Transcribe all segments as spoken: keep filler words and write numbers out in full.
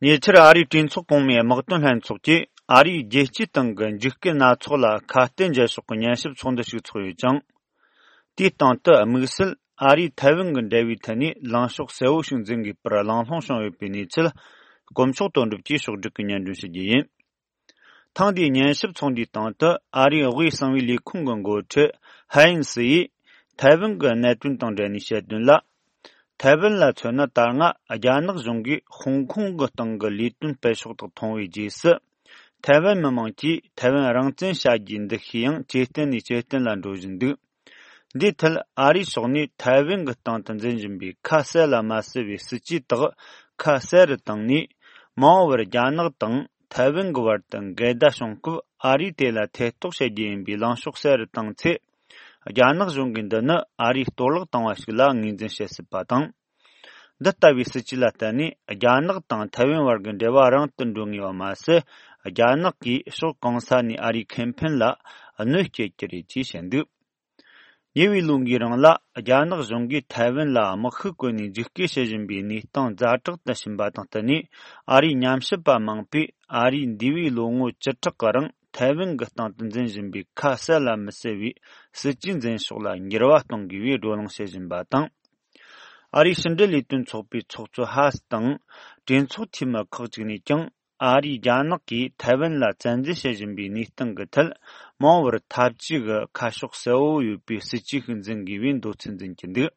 ཉེ་ཆར་ཨ་རིའི་གྲོས་ཚོགས་གོང་མའི་དམག་དོན་ལྷན་ཚོགས་ཀྱིས་ཨ་རིའི་རྒྱལ་སྤྱིའི་སྟེང་གི་འཇིགས་སྐུལ་སྣ་ཚོགས་ལ་ཁ་གཏད་འཇལ་ཕྱོགས་ཀྱི་ཉན་ཞིབ་ཚོགས་འདུ་ཞིག་འཚོགས་ཡོད་ཅིང་། དེའི་སྟེང་དུ་དམིགས་བསལ་ཨ་རིའི་ཐའེ་ཝན་གྱི་འབྲེལ་བའི་ཐད་ནས་ལངས་ཕྱོགས་གསལ་བོ་ཞིག་འཛིན་དགོས་པར་གླེང་སློང་བྱུང་ཡོད་པའི་གནས་ཚུལ། དཀོན་མཆོག་དོན་གྲུབ་ཀྱིས་ཕྱོགས་བསྒྲིགས་ཀྱིས་སྙན་སྒྲོན་ཞུ་རྒྱུ་ཡིན། ཐེངས་འདིའི་ཉན་ཞིབ་ཚོགས་འདུའི་སྟེང་དུ་ཨ་རིའི་དབུས་གསང་བའི་ལས་ཁུངས་ཀྱི་འགོ་ཁྲིད་ཧ་ཡིན་སི་ཡིས་ཐའེ་ཝན་གྱི་གནད་དོན་དང་འབྲེལ་ནས་བཤད་དོན་ལ། ཐའེ་ཝན་ལ་མཚོན་ན་ད་སྔ་རྒྱ་ནག་གཞུང་གིས་ཧོང་ཀོང་གི་སྟེང་གི་ལས་དོན་སྤེལ་ཕྱོགས་དག་མཐོང་བའི་རྗེས་སུ། ཐའེ་ཝན་མི་དམངས་ཀྱིས་ཐའེ་ཝན་རང་བཙན་བྱ་རྒྱུའི་འདུ་ཤེས་ཡང་ཇེ་བརྟན་ནས་ཇེ་བརྟན་ལ་འགྲོ་བཞིན་འདུག་འདིའི་ཐད་ཨ་རིའི་ཕྱོགས་ནས་ཐའེ་ཝན་གྱི་སྟེང་དུ་འཛིན་བཞིན་པའི་ཁ་གསལ་ལ་མ་གསལ་བའི་སྲིད་ཇུས་དག་ཁ་གསལ་རུ་བཏང་ནས། མ་འོངས་པར་རྒྱ་ནག་དང་ཐའེ་ཝན་གྱི་བར་དུ་འགལ་ཟླ་བྱུང་སྐབས་ཨ་རིས་དེ་ལ་ཐེ་གཏོགས་བྱེད་རྒྱུ་ཡིན་པའི་ལངས་ཕྱོགས་གསལ་རུ་བཏང་ཚེ། རྒྱ་ནག་གཞུང་གིས་འདི་ནི་ཨ་རིས་གཏོར་བརླག་བཏང་བ་ཞིག་ལ་ངོས་འཛིན་བྱེད་སྲིད་པ་དང་། འདི་ལྟ་བུའི་སྲིད་ཇུས་ལ་བརྟེན་ནས་རྒྱ་ནག་དང་ཐའེ་ཝན་བར་གྱི་འབྲེལ་བ་རིང་དུ་འགྲོ་ངེས་པ་མ་ཟད། རྒྱ་ནག་གིས་ཕྱོགས་གང་ས་ནས་ཨ་རིའི་ཁེ་ཕན་ལ་གནོད་སྐྱེལ་གྱི་རེད་ཅེས་བཤད་འདུག་ཉེ་བའི་ལོ་འགའི་རིང་ལ་རྒྱ་ནག་གཞུང་གིས་ཐའེ་ཝན་ལ་དམག་ཤུགས་བཀོལ་ནས་འཇིགས་སྐུལ་བྱེད་བཞིན་པའི་གནས་སྟངས་ཛ་དྲག་ཏུ་ཕྱིན་པ་དང་བསྟུན་ནས། ཨ་རིའི་ཉམས་ཞིབ་པ་མང་པོས་ཨ་རིས་འདས་པའི་ལོ་ངོ་བཅུ་ཕྲག་གི་རིང་ཐའེ་ཝན་གྱི་སྟེང་དུ་འཛིན་བཞིན་པའི་ཁ་གསལ་ལ་མི་གསལ་བའི་སྲིད་ཇུས་འཛིན་ཕྱོགས་ལ་འགྱུར་བ་གཏོང་དགོས་པའི་བགྲོ་གླེང་བྱེད་བཞིན་པ་དང་། ཨ་རིའི་ཕྱི་འབྲེལ་ལས་དོན་ཚོགས་པའི་ཚོགས་གཙོ་ཧ་སི་དང་། གྲོས་ཚོགས་འཐུས་མི་ཁག་ཅིག་ནས་ཀྱང་། ཨ་རིས་རྒྱ་ནག་གིས་ཐའེ་ཝན་ལ་བཙན་འཛུལ་བྱེད་བཞིན་པའི་གནས་སྟངས་ཀྱི་ཐད། མ་འོངས་པར་འཐབ་ཇུས་ཀྱི་ཁ་ཕྱོགས་གསལ་བོ་ཡོད་པའི་སྲིད་ཇུས་ཤིག་འཛིན་དགོས་པའི་འདོད་ཚུལ་འཛིན་གྱི་འདུག་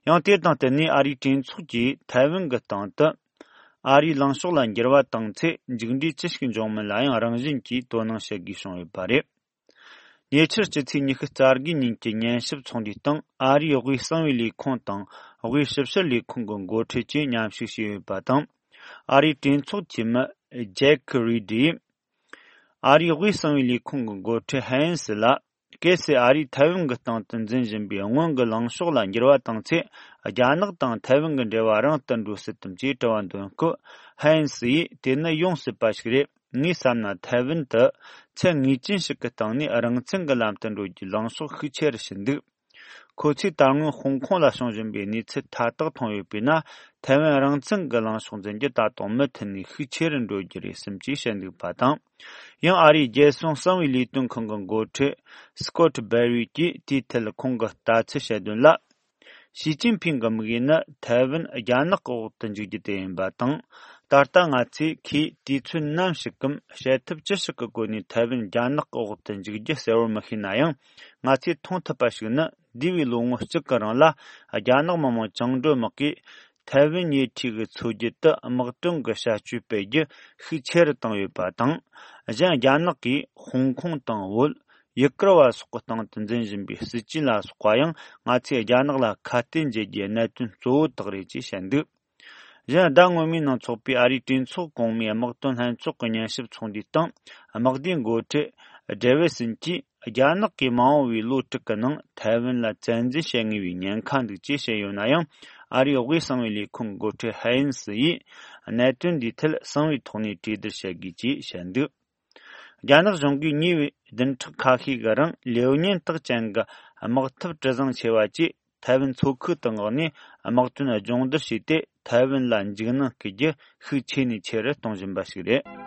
ཡང་དེ་དང་བསྟུན་ནས་ཨ་རིའི་གྲོས་ཚོགས་ཀྱིས་ཐའེ་ཝན་གྱི་སྟེང་དུ། ཨ་རིའི་ལངས་ཕྱོགས་ལ་འགྱུར་བ་བཏང་ཚེ་མཇུག་འབྲས་ཅི་ཞིག་འབྱུང་མིན་ལ་ཡང་རང་བཞིན་གྱིས་དོ་སྣང་བྱེད་དགོས་བྱུང་ཡོད་པ་རེད། ཉེ་ཆར་སྤྱི་ཚེས་ཉི་ཤུ་རྩ་དགུའི་ཉིན་གྱི་ཉན་ཞིབ་ཚོགས་འདུའི་སྟེང་ཨ་རིའི་དབུས་གསང་བའི་ལས་ཁུངས་དང་དབུས་ཞིབ་བཤེར་ལས་ཁུངས་ཀྱི་འགོ་ཁྲིད་བཅས་མཉམ་ཞུགས་བྱས་ཡོད་པ་དང་། ཨ་རིའི་གྲོས་ཚོགས་འཐུས་མི་ཇེག་རི་ཌིས། ཨ་རིའི་དབུས་གསང་བའི་ལས་ཁུངས་ཀྱི་འགོ་ཁྲིད་ཧན་སི་ལ། གལ་སྲིད་ཨ་རིས་ཐའེ་ཝན་གྱི་སྟེང་དུ་འཛིན་བཞིན་པའི་སྔོན་གྱི་ལངས་ཕྱོགས་ལ་འགྱུར་བ་བཏང་ཚེ། རྒྱ་ནག་དང་ཐའེ་ཝན་གྱི་འབྲེལ་བ་རིང་དུ་འགྲོ་སྲིད་དམ་ཅེས་དྲི་བ་འདོན་སྐབས། ཧན་སི་ཡིས་དེ་ནི་ཡོང་སྲིད་པ་ཞིག་རེད། ངས་བསམ་ན་ཐའེ་ཝན་དུ་ཚད་ངེས་ཅན་ཞིག་གི་སྟེང་ནས་རང་བཙན་གྱི་ལམ་དུ་འགྲོ་རྒྱུའི་ལངས་ཕྱོགས་ཤུགས་ཆེ་རུ་ཕྱིན་འདུག་ཁོ་ཚོས་ད་སྔོན་ཧོང་ཀོང་ལ་བྱུང་བཞིན་པའི་གནས་ཚུལ་མཐའ་དག་མཐོང་ཡོད་པས་ན། ཐའེ་ཝན་རང་བཙན་གྱི་ལངས་ཕྱོགས་འཛིན་རྒྱུ་ད་དུང་མུ་མཐུད་ནས་ཤུགས་ཆེ་རུ་འགྲོ་རྒྱུ་རེད་བསམ་ཅེས་བཤད་འདུག་པ་དང་། ཡང་ཨ་རིའི་རྒྱལ་སྲུང་གསང་བའི་ལས་དོན་ཁང་གི་འགོ་ཁྲིད་སྐོད་སྦེར་ཝི་གྱིས་དེའི་ཐད་ཁོང་གི་ལྟ་ཚུལ་བཤད་དོན་ལ། ཞི་ཅིན་ཕིང་གི་དམིགས་ཡུལ་ནི་ཐའེ་ཝན་རྒྱ་ནག་གི་འོག་ཏུ་འཇུག་རྒྱུ་དེ་ཡིན་པ་དང་། ད་ལྟ་ང་ཚོས་ཁོས་དུས་ཚོད་ནམ་ཞིག་གམ་བྱེད་ཐབས་ཅི་ཞིག་གི་སྒོ་ནས་ཐའེ་ཝན་རྒྱ་ནག་གི་འོག་ཏུ་འཇུག་རྒྱུ་གསལ་བོར་མི་ཤེས་ན་ཡང་། ང་ཚོས་མཐོང་ཐུབ་པ་ཞིག་ནི། འདས་པའི་ལོ་ངོ་གཅིག་གི་རིང་ལ། རྒྱ་ནག་མི་དམངས་བཅིངས་འགྲོལ་དམག་གིས་ཐའེ་ཝན་ཉེ་འཁྲིས་ཀྱི་མཚོ་རྒྱུད་དུ་དམག་དོན་གྱི་བྱ་སྤྱོད་སྤེལ་རྒྱུ་ཤུགས་ཆེ་རུ་བཏང་ཡོད་པ་དང་། གཞན་རྒྱ་ནག་གིས་ཧོང་ཀོང་དང་བོད། ཡུ་གུར་བ་སོགས་ཀྱི་སྟེང་དུ་འཛིན་བཞིན་པའི་སྲིད་ཇུས་ལ་སོགས་པ་ཡང་ང་ཚོས་རྒྱ་ནག་ལ་ཁ་གཏད་འཇལ་རྒྱུའི་གནད་དོན་གཙོ་བོ་དག་རེད་ཅེས་བཤད་འདུག་གཞན་ཟླ་སྔོན་མའི་ནང་འཚོགས་པའི་ཨ་རིའི་གྲོས་ཚོགས་གོང་མའི་དམག་དོན་ལྷན་ཚོགས་ཀྱི་ཉན་ཞིབ་ཚོགས་འདུའི་སྟེང་། དམག་སྡེའི་འགོ་ཁྲིད་ཌེ་ཝི་སན་གྱིས། རྒྱ་ནག་གིས་མ་འོངས་པའི་ལོ་དྲུག་གི་ནང་ཐའེ་ཝན་ལ་བཙན་འཛུལ་བྱེད་ངེས་པའི་ཉེན་ཁ་འདུག་ཅེས་བཤད་ཡོད་ན་ཡང་། ཨ་རིའི་དབུས་གསང་བའི་ལས་ཁུངས་འགོ་ཁྲིད་ཧ་ཡིན་སི་ཡིས། གནད་དོན་འདིའི་ཐད་གསང་བའི་ཐོག་ནས་གྲོས་བསྡུར་བྱེད་དགོས་ཅེས་བཤད་འདུག་རྒྱ་ནག་གཞུང་གིས་ཉེ་བའི་བདུན་ཕྲག་ཁ་ཤས་ཀྱི་རིང་ལེའུ་ཉེན་རྟགས་ཅན་གྱི་དམག་འཐབ་གྲུ་གཟིངས་ཆེ་བ་བཅས་ཐའེ་ཝན་མཚོ་ཁུལ་དུ་མངགས་ནས་དམག་དོན་སྦྱོང་བརྡར་བྱས་ཏེ། ཐའེ་ཝན་ལ་འཇིགས་སྣང་སྐུལ་རྒྱུ་ཤུགས་ཆེ་ནས་ཆེ་རུ་གཏོང་བཞིན་པ་ཞིག་རེད།